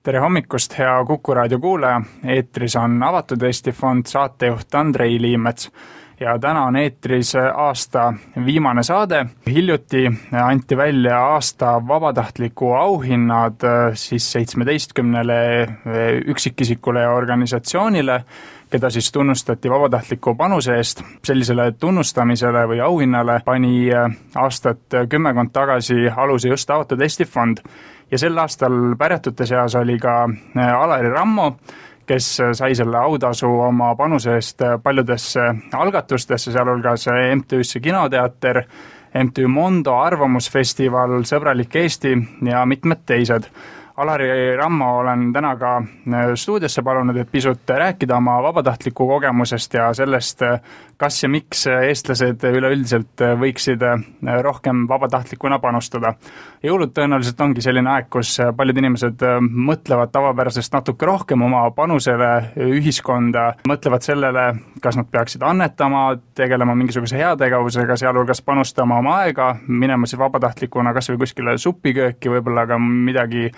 Tere hommikust, hea Kuku raadio kuulaja! Eetris on Avatud Eesti Fond, saatejuht Andrei Liimets ja täna on eetris aasta viimane saade. Hiljuti anti välja aasta vabatahtliku auhinnad siis 17 üksikisikule ja organisatsioonile, keda siis tunnustati vabatahtliku panuse eest. Sellisele tunnustamisele või auhinnale pani aastat 10 tagasi aluse just Avatud Eesti Fond. Ja sel aastal pärjatute seas oli ka Alari Rammo, kes sai selle autasu oma panuse eest paljudesse algatustesse, sealhulgas MTÜ-sse Kinoteater, MTÜ Mondo arvamusfestival, Sõbralik Eesti ja mitmed teised. Alari Rammo olen täna ka stuudiosse palunud, et pisut rääkida oma vabatahtliku kogemusest ja sellest, kas ja miks eestlased üleüldiselt võiksid rohkem vabatahtlikuna panustada. Jõulud tõenäoliselt ongi selline aeg, kus paljud inimesed mõtlevad tavapärasest natuke rohkem oma panusele ühiskonda, mõtlevad sellele, kas nad peaksid annetama, tegelema mingisuguse heategevusega, sealhulgas panustama oma aega, minema siis vabatahtlikuna kas või kuskile supikööki, võib-olla ka midagi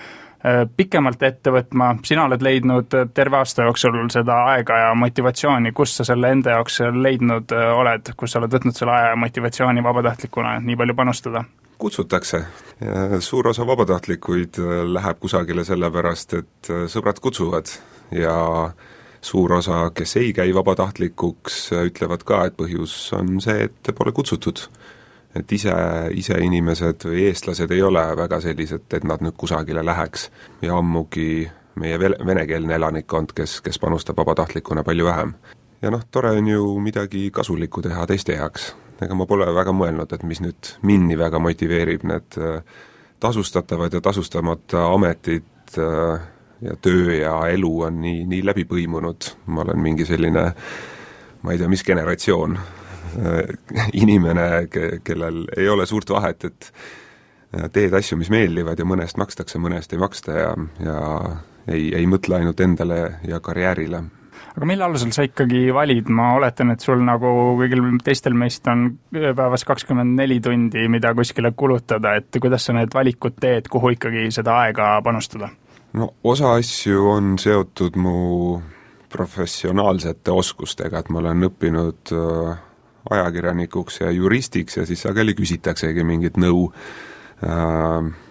pikemalt ette võtma. Sina oled leidnud terve aasta jooksul seda aega ja motivatsiooni, kus sa selle enda jaoks leidnud oled, kus sa oled võtnud selle aja ja motivatsiooni vabatahtlikuna nii palju panustada? Kutsutakse. Suur osa vabatahtlikuid läheb kusagile sellepärast, et sõbrad kutsuvad ja suur osa, kes ei käi vabatahtlikuks, ütlevad ka, et põhjus on see, et pole kutsutud. Et ise inimesed või eestlased ei ole väga sellised, et nad nüüd kusagile läheks ja ammugi meie venekeelne elanikkond, kes panustab vabatahtlikuna palju vähem. Ja tore on ju midagi kasulikku teha teiste heaks. Ega ma pole väga mõelnud, et mis nüüd minni väga motiveerib, need tasustatavad ja tasustamata ametid ja töö ja elu on nii läbi põimunud. Ma olen mingi selline, ma ei tea, mis generatsioon, inimene, kellel ei ole suurt vahet, et teed asju, mis meeldivad ja mõnest makstakse, mõnest ei maksta ja ei mõtle ainult endale ja karjäärile. Aga mille alusel sa ikkagi valid? Ma oletan, et sul nagu kõigil teistel meist on päevas 24 tundi, mida kuskile kulutada, et kuidas sa need valikud teed, kuhu ikkagi seda aega panustada? Osa asju on seotud mu professionaalsete oskustega, et ma olen õppinud ajakirjanikuks ja juristiks ja siis sageli küsitaksegi mingit nõu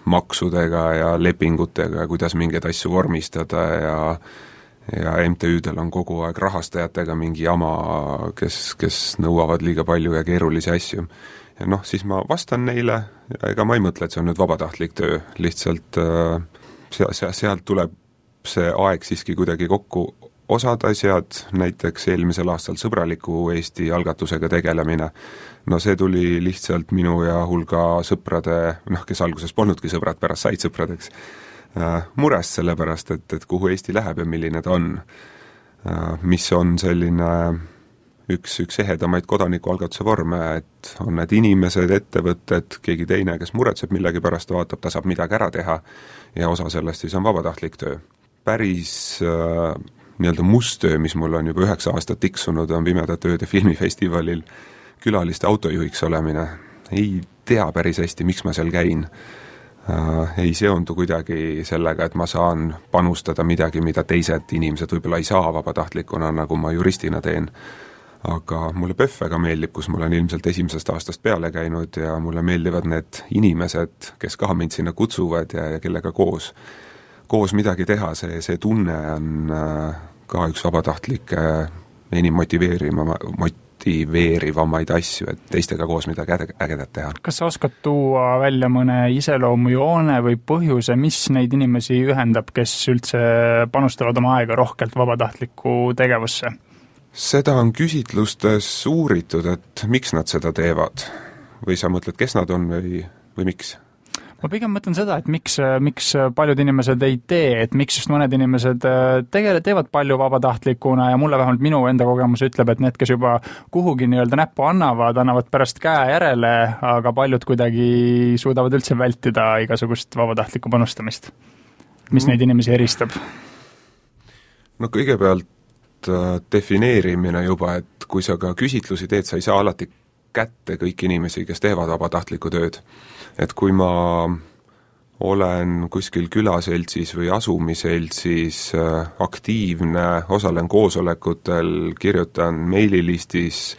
maksudega ja lepingutega, kuidas mingeid asju vormistada ja MTÜ-del on kogu aeg rahastajatega mingi jama, kes nõuavad liiga palju ja keerulisi asju. Ja siis ma vastan neile ja ega ma ei mõtle, et see on nüüd vabatahtlik töö, lihtsalt sealt tuleb see aeg siiski kuidagi kokku. Osad asjad, näiteks eelmisel aastal Sõbraliku Eesti algatusega tegelemine, see tuli lihtsalt minu ja hulga sõprade, kes alguses polnudki sõbrad, pärast said sõpradeks, murest sellepärast, et kuhu Eesti läheb ja milline ta on, mis on selline üks ehedamaid kodanikualgatuse vorme, et on need inimesed, ettevõtted, keegi teine, kes muretseb millegi pärast, vaatab, ta saab midagi ära teha ja osa sellest siis on vabatahtlik töö. Päris nii-öelda musttöö, mis mul on juba 9 aastat tiksunud, on Pimedate ööde filmifestivalil külaliste autojuhiks olemine. Ei tea päris hästi, miks ma seal käin. Ei seondu kuidagi sellega, et ma saan panustada midagi, mida teised inimesed võib-olla ei saa vabatahtlikuna, nagu ma juristina teen. Aga mulle PÖFF väga meeldib, kus mul on ilmselt 1. aastast peale käinud ja mulle meeldivad need inimesed, kes ka mind sinna kutsuvad ja kellega koos midagi teha, see tunne on ka üks vabatahtlike enim motiveerivamaid asju, et teistega koos midagi ägedat teha. Kas sa oskad tuua välja mõne iseloomujoone või põhjuse, mis neid inimesi ühendab, kes üldse panustavad oma aega rohkelt vabatahtliku tegevusse? Seda on küsitlustes uuritud, et miks nad seda teevad või sa mõtled, kes nad on või miks? Ma pigem mõtlen seda, et miks paljud inimesed ei tee, et miks just mõned inimesed teevad palju vabatahtlikuna ja mulle vähemalt minu enda kogemus ütleb, et need, kes juba kuhugi nii-öelda näppu annavad pärast käe järele, aga paljud kuidagi suudavad üldse vältida igasugust vabatahtlikku panustamist. Mis neid inimesi eristab? Kõigepealt defineerimine juba, et kui sa ka küsitlusi teed, sa ei saa alati kätte kõik inimesi, kes teevad vabatahtlikku tööd. Et kui ma olen kuskil külaseltsis või asumiseltsis aktiivne, osalen koosolekutel, kirjutan meililistis,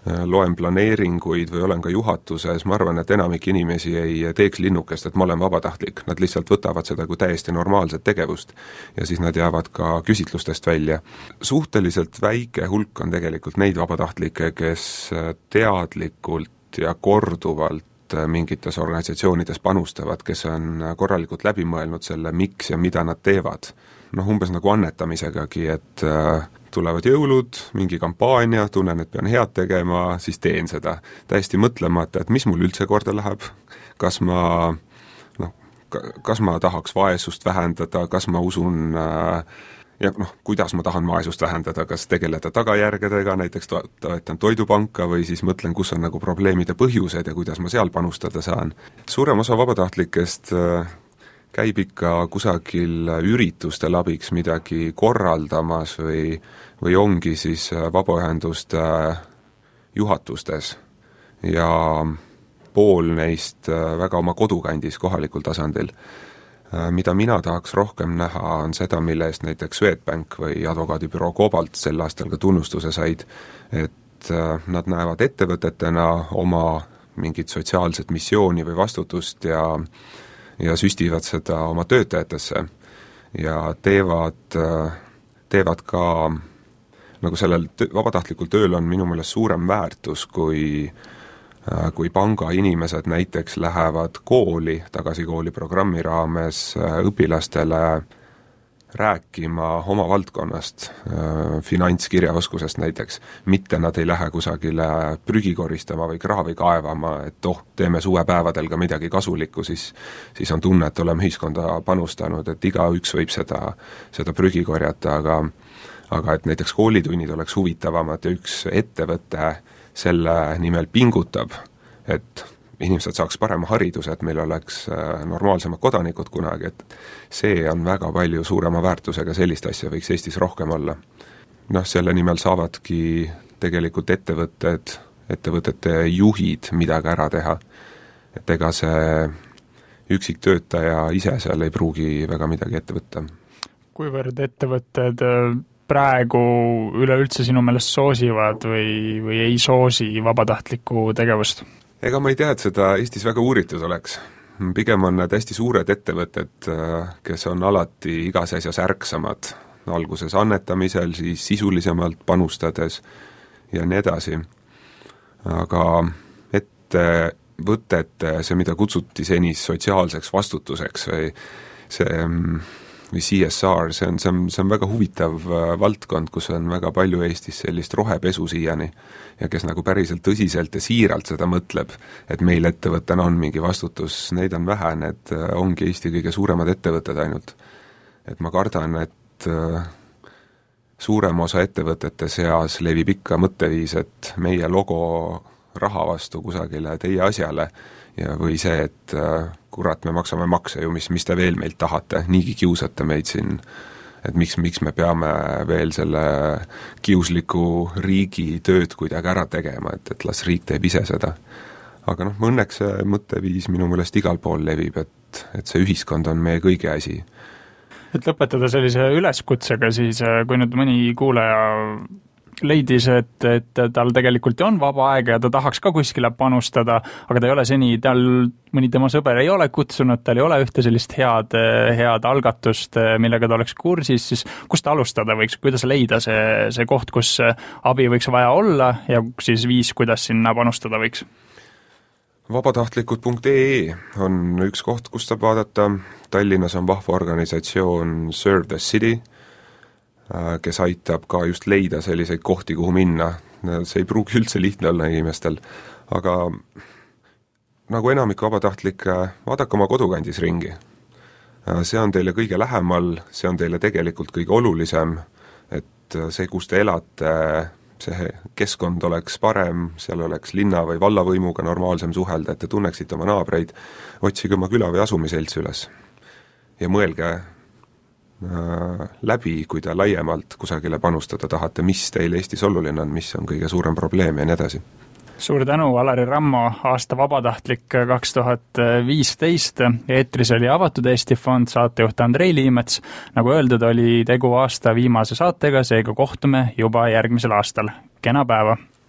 loen planeeringuid või olen ka juhatuses, ma arvan, et enamik inimesi ei teeks linnukest, et ma olen vabatahtlik, nad lihtsalt võtavad seda kui täiesti normaalset tegevust ja siis nad jäävad ka küsitlustest välja. Suhteliselt väike hulk on tegelikult neid vabatahtlikke, kes teadlikult ja korduvalt mingites organisatsioonides panustavad, kes on korralikult läbi mõelnud selle, miks ja mida nad teevad. Umbes nagu annetamisegagi, et tulevad jõulud, mingi kampaania, tunnen, et pean head tegema, siis teen seda. Täiesti mõtlemata, et mis mul üldse korda läheb, kas ma tahaks vaesust vähendada, kas ma usun kuidas ma tahan vaesust vähendada, kas tegeleda tagajärgedega, näiteks toetan toidupanka või siis mõtlen, kus on nagu probleemide põhjused ja kuidas ma seal panustada saan. Suurem osa vabatahtlikest käib ikka kusagil üritustel abiks midagi korraldamas või ongi siis vabaühenduste juhatustes ja pool neist väga oma kodukandis kohalikul tasandil. Mida mina tahaks rohkem näha, on seda, mille eest näiteks Swedbank või advokaadibüroo Cobalt sel aastal ka tunnustuse said, et nad näevad ettevõtetena oma mingit sotsiaalset missiooni või vastutust ja süstivad seda oma töötajatesse ja teevad ka, nagu sellel vabatahtlikul tööl on minu meelest suurem väärtus, kui panga inimesed näiteks lähevad kooli, tagasi kooli programmi raames õpilastele rääkima oma valdkonnast, finantskirjaoskusest näiteks, mitte nad ei lähe kusagile prügi koristama või kraavi kaevama, et teeme suvepäevadel ka midagi kasulikku, siis on tunne, et oleme ühiskonda panustanud, et igaüks võib seda prügi korjata, aga et näiteks koolitunnid oleks huvitavamad ja üks ettevõte selle nimel pingutab, et inimesed saaks parema hariduse, et meil oleks normaalsemad kodanikud kunagi, et see on väga palju suurema väärtusega, sellist asja võiks Eestis rohkem olla. Selle nimel saavadki tegelikult ettevõtete juhid midagi ära teha, et ega see üksiktöötaja ise seal ei pruugi väga midagi ette võtta. Kuivõrd ettevõtted praegu üleüldse sinu meelest soosivad või ei soosi vabatahtlikku tegevust? Ega ma ei tea, et seda Eestis väga uuritud oleks. Pigem on need hästi suured ettevõtted, kes on alati igas asjas ärksamad, alguses annetamisel, siis sisulisemalt panustades ja nii edasi. Aga ettevõtete, see mida kutsuti senis sotsiaalseks vastutuseks või CSR, see on väga huvitav valdkond, kus on väga palju Eestis sellist rohepesu siiani ja kes nagu päriselt tõsiselt ja siiralt seda mõtleb, et meil ettevõttena on mingi vastutus, neid on vähe, need ongi Eesti kõige suuremad ettevõtted ainult. Et ma kardan, et suurem osa ettevõtete seas levib ikka mõtteviis, et meie logo raha vastu kusagile teie asjale ja või see, et kurat, me maksame makse ju, mis te veel meilt tahate, niigi kiusate meid siin, et miks me peame veel selle kiusliku riigi tööd kuidagi ära tegema, et las riik teeb ise seda. Aga õnneks see mõtteviis minu meelest igal pool levib, et see ühiskond on meie kõigi asi. Et lõpetada sellise üleskutsega siis, kui nüüd mõni kuulaja leidis, et tal tegelikult on vaba aega ja ta tahaks ka kuskile panustada, aga ta ei ole seni, tal mõni tema sõber ei ole kutsunud, tal ei ole ühte sellist head algatust, millega ta oleks kursis, siis kust alustada võiks, kuidas leida see koht, kus abi võiks vaja olla ja siis viis, kuidas sinna panustada võiks? Vabatahtlikud.ee on üks koht, kust saab vaadata. Tallinnas on vahva organisatsioon Serve the City, kes aitab ka just leida selliseid kohti, kuhu minna. See ei pruugi üldse lihtne olla inimestel, aga nagu enamik vabatahtlikke, vaadake oma kodukandis ringi. See on teile kõige lähemal, see on teile tegelikult kõige olulisem, et see, kus te elate, see keskkond oleks parem, seal oleks linna või vallavõimuga normaalsem suhelda, et te tunneksite oma naabreid, otsige oma küla või asumiselts üles ja mõelge läbi, kui te laiemalt kusagile panustada tahate, mis teil Eestis oluline on, mis on kõige suurem probleem ja nii edasi. suur tänu, Alari Rammo, aasta vabatahtlik 2015. Eetris oli Avatud Eesti Fond, saatejuht Andrei Liimets. Nagu öeldud, oli tegu aasta viimase saatega, seega kohtume juba järgmisel aastal. Kena päeva!